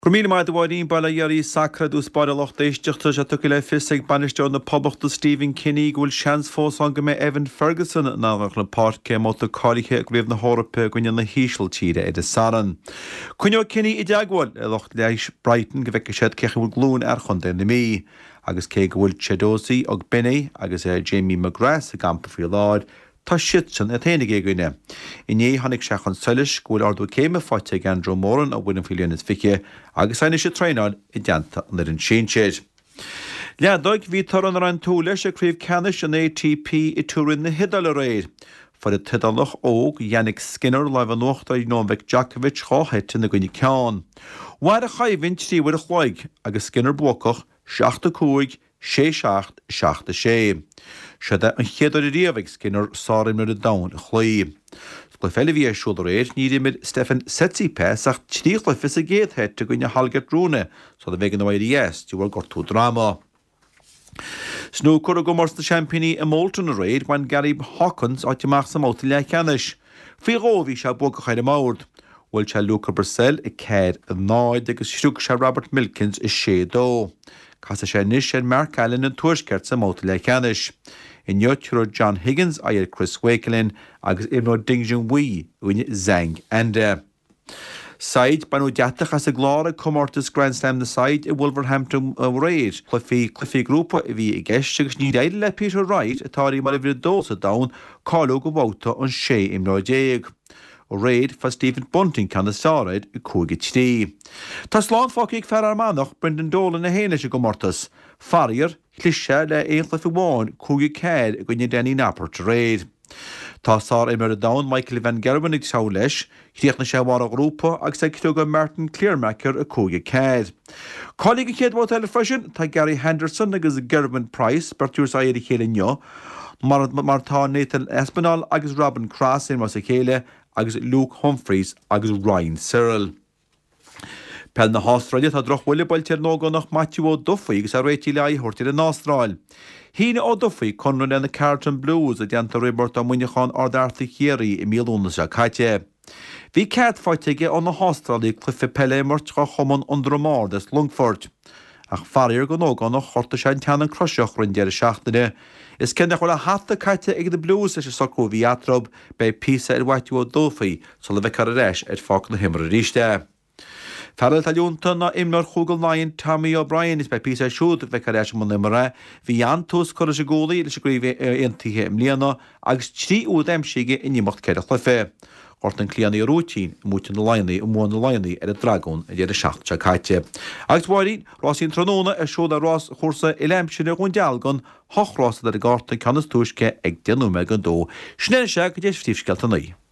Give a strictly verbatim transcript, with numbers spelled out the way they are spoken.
Go raibh míle maith agat a Mháirín, bail ó Dhia oraibh sacar i dtús báire a lucht éisteachta. Sé tugtha le fios ag bainisteoir na Poblachta Stephen Kenny go bhfuil seans fós ann go mbeidh Evan Ferguson in ann chun na páirce i mbabhta cáilithe i gCraobh na hEorpa i gcoinne na hÍsiltíre ar an Satharn. Coinneoidh Kenny i dteagmháil le lucht leighis Brighton go bhfeicfidh siad cén chaoi a bhfuil glúin fhear chontae na Mí. Agus cé go bhfuil Chiedozie Ogbene agus Jamie McGrath sa gcampa faoi láthair, Tá siadsan iad féin ag éagaoineadh. Inné tháinig sé chun solais go bhfuil ardú céime faighte ag Andrew Moran ón bhfoireann faoi bhliain is fiche agus é anois ag traenáil i dteannta an fhoireann sinsir. Leadóg, bhí toradh nach raibh aon tsúil leis ag craobh ceannais an ATP i Turin na hIodáile aréir. Fuair an tIodálach óg Jannik Sinner lámh in uachtar ar Novak Djokovic dhá sheit ina gcoinne ceann. Mhair an choimhlint trí uair a chloig agus Sinner buacach, seacht a cúig, sé seacht, seacht a sé. Seod é an chéad uair ariamh ag Sinner sárimreoir an domhain a chloí. Sa gcluiche eile a bhí ar siúl aréir, níor imir Stefan Tsitsipas ach trí chluiche sa gcéad sheit i gcoinne Holger Rune sula mb'éigean dó éirí as de bharr gortú droma. Snúcar i gcomórtas na seaimpíní i Bolton aréir, bhain Gary Hawkins áit amach sa mbabhta leathcheannais. Faoi dhó bhí sé buacach ar an mbord. Bhuail sé Luca Brecel a ceathair a náid agus shroich sé Robert Milkins a sé dó. Casfaidh sé anois ar Mark Allen an Tuaiscirt sa mbabhta leathcheannais. Inniu tabharfaidh John Higgins aghaidh ar Chris Wakelin agus imreoidh Ding Junhui i gcoinne Zhang Anda. Said, Baineadh deatach as an gclár ag comórtas Grand Slam na Said i Wolverhampton aréir. Cluichí cluichí grúpa a bhí i gceist agus níor éirigh le Peter Wright, atá mar uimhir a dó sa domhan, cáiliú go babhta an sé imreoir déag. Aréir, fuair Stephen Bunting ceann is fearr air, cúig a trí. Tá slán fágtha ag fear Fhear Manach, Brendan Dolan é féin leis an gcomórtas. Faraor, chlis sé le aon chluiche amháin, cúig a ceathair i gcoinne Danny Noppert aréir. Tá sár-imreoir an domhain Michael van Gerwen ag treabhadh leis. Chríochnaigh sé i mbarr an ghrúpa agus é ag criogadh Martin Kleermaker a cúig a ceathair. Cáilithe don chéad bhabhta eile freisin tá Gary Henderson agus Gerwyn Price, beirt a thabharfas aghaidh ar a chéile inniu, mar mar atá Nathan Aspinall agus Robin Cross a imreos a chéile agus Luke Humphries agus Ryan Searle. Peil na hAstráile, tá drochbhuille buailte ar an ógánach Maitiú Ó Dufaigh agus é réitithe le aghaidh a thabhairt ar an Astráil. Shínigh Ó Dufaigh conradh le na Carlton Blues i dteannta Roibeárt Ó Muineacháin Ard Fhearta Chiarraí i mí Lúnasa seo caite. Bhí cead faighte aige ó na hAstrálaigh cluiche peile a imirt do chumann An Drom Ard as Longfort. Ach faraor don ógánach, ghortaigh sé an teannán croiseach roimh an deireadh seachtaine. Is cé nach bhfuil a hata caite ag na Blues leis an socrú a bhí eatarthu, beidh píosa ar Mhaitiú Ó Dufaigh sula bhfeicfear ar ais ar pháirc na himeartha arís é. Fear eile atá leonta ná imreoir Chúige Laighean Tommy O'Brien is beidh píosa air siúd go bhfeicfear ar ais i mbun imeartha é. Bhí an-tús curtha leis an gcúlaí leis an gCraobh Aontaithe i mbliana agus trí úd aimsithe aige in imeacht ceithre chluiche. Ghortaigh an cliathánaí a rúitín i mbuaite na Laigheanaigh i mbua na Laigheanaigh ar an Dragún an deireadh seachtaine seo caite. Agus a Mháirín, rásaí an tráthnóna ar siúl ar ráschúrsa uile-aimsire Dhún Dealgan, hocht rás ar an gcárta, an ceann is túisce ag deich nóiméad don dó. Sin é anois é go dtí phríomhscéalta an lae.